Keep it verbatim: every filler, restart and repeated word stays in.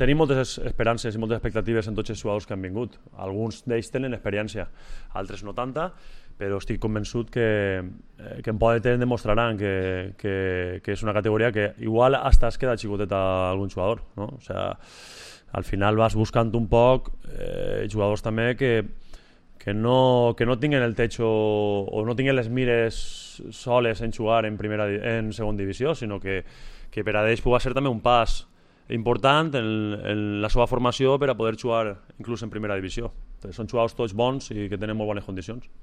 tenim moltes esperances i moltes expectatives en tots els jugadors que han vingut. Alguns d'ells tenen experiència, altres no tanta, però estic convençut que, eh, que en poden tenir demostraran que, que, que és una categoria que igual hasta es queda xicotet a algun jugador, no? O sea, al final vas buscant un poc eh, jugadors també que, que, no, que no tinguen el techo o no tinguen les mires soles en jugar en, primera, en segona divisió, sinó que, que per a ells pugui ser també un pas important en, en la seva formació per a poder jugar inclús en primera divisió. Entonces, són jugadors tots bons i que tenen molt bones condicions.